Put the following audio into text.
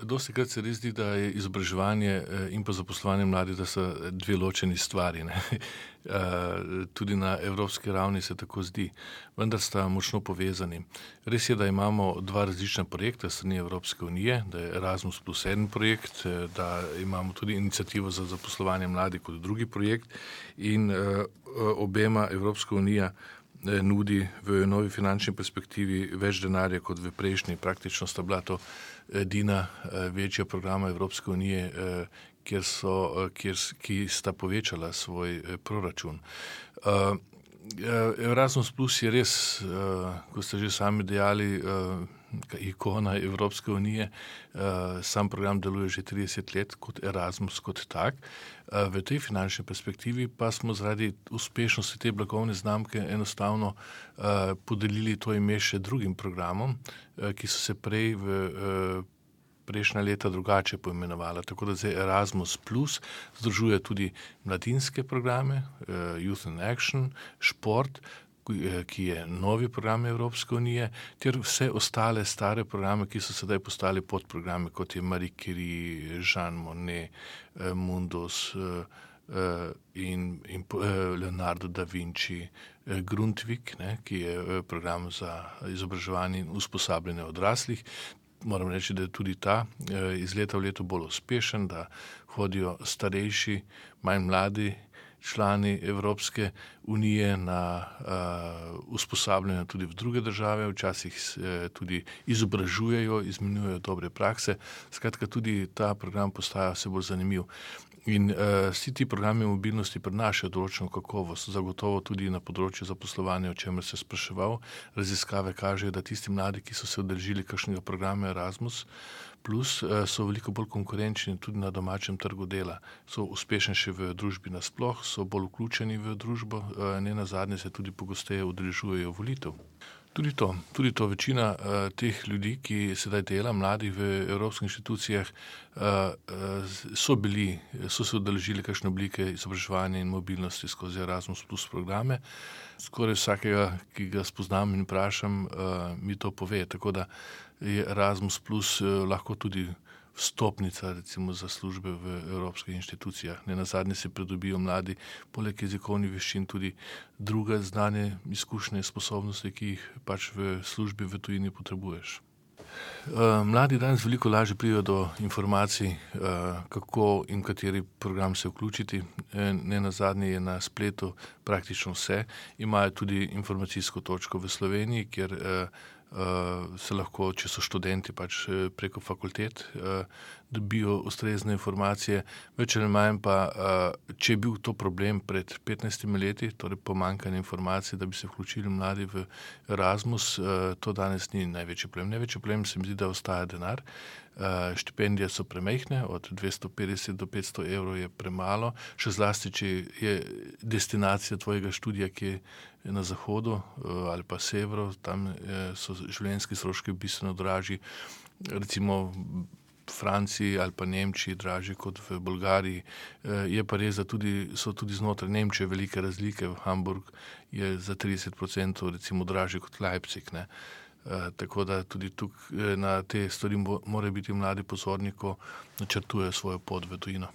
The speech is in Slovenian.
Dostikrat se res zdi, da je izobraževanje in pa zaposlovanje mladih, da so dve ločeni stvari, ne. Tudi na evropski ravni se tako zdi, vendar sta močno povezani. Res je, da imamo dva različna projekta s strani Evropske unije, da je Erasmus plus en projekt, da imamo tudi iniciativo za zaposlovanje mladih kot drugi projekt in obema Evropska unija nudi v novi finančni perspektivi več denarja kot v prejšnji. Praktično sta bila to edina večja programa Evropske unije, ki sta povečala svoj proračun. Erasmus plus je res, kot ste že sami dejali, ikona Evropske unije. Sam program deluje že 30 let kot Erasmus kot tak. V tej finančni perspektivi pa smo zaradi uspešnosti te blagovne znamke enostavno podelili to ime še drugim programom, ki so se prej v prejšnja leta drugače poimenovala. Tako da zdaj Erasmus plus združuje tudi mladinske programe, Youth in Action, šport, ki je novi program Evropske unije, ter vse ostale stare programe, ki so sedaj postali podprograme, kot je Marie Curie, Jean Monnet, Mundus in Leonardo da Vinci, Grundtvig, ne, ki je program za izobraževanje in usposabljanje odraslih. Moram reči, da je tudi ta iz leta v leto bolj uspešen, da hodijo starejši, manj mladi člani Evropske unije na usposabljanje tudi v druge države, včasih tudi izobražujejo, izmenjujejo dobre prakse. Skratka, tudi ta program postaja vse bolj zanimiv. In vsi ti programi mobilnosti prinašajo določeno kakovost, zagotovo tudi na področju zaposlovanja, o čemer se spraševal. Raziskave kažejo, da tisti mladi, ki so se udeležili kakšnega programa Erasmus plus, so veliko bolj konkurenčni tudi na domačem trgu dela. So uspešnejši v družbi nasploh, so bolj vključeni v družbo, nenazadnje se tudi pogosteje udeležujejo volitev. Tudi to večina teh ljudi, ki sedaj dela, mladih v evropskih inštitucijah, so se udeležili kakšne oblike izobraževanja in mobilnosti skozi Erasmus plus programe. Skoraj vsakega, ki ga spoznam in vprašam, mi to pove, tako da je Erasmus plus lahko tudi vstopnica recimo za službe v evropskih inštitucijah. Nenazadnje se pridobijo mladi poleg jezikovnih veščin tudi druge znanje, izkušnje, sposobnosti, ki jih pač v službi v tujini potrebuješ. Mladi danes veliko lažje pridejo do informacij, kako in kateri program se vključiti. Nenazadnje je na spletu praktično vse. Imajo tudi informacijsko točko v Sloveniji, kjer se lahko, če so študenti, pač preko fakultet dobijo ustrezne informacije. Več ali manj pa, če je bil to problem pred 15 leti, torej pomanjkanje informacij, da bi se vključili mladi v Erasmus, to danes ni največji problem. Največji problem se mi zdi, da ostaja denar. Štipendije so premajhne, od 250 do 500 evrov je premalo, še zlasti, če je destinacija tvojega študija, ki je na zahodu ali pa severu, tam so življenjski stroški bistveno dražji. Recimo v Franciji ali pa Nemčiji dražji kot v Bolgariji. Je pa res, da so tudi znotraj Nemčije velike razlike. Hamburg je za 30% recimo dražji kot Leipzig, ne. Tako da tudi tukaj na te stvari morajo biti mladi pozorni, ko načrtujejo svojo pot v tujino.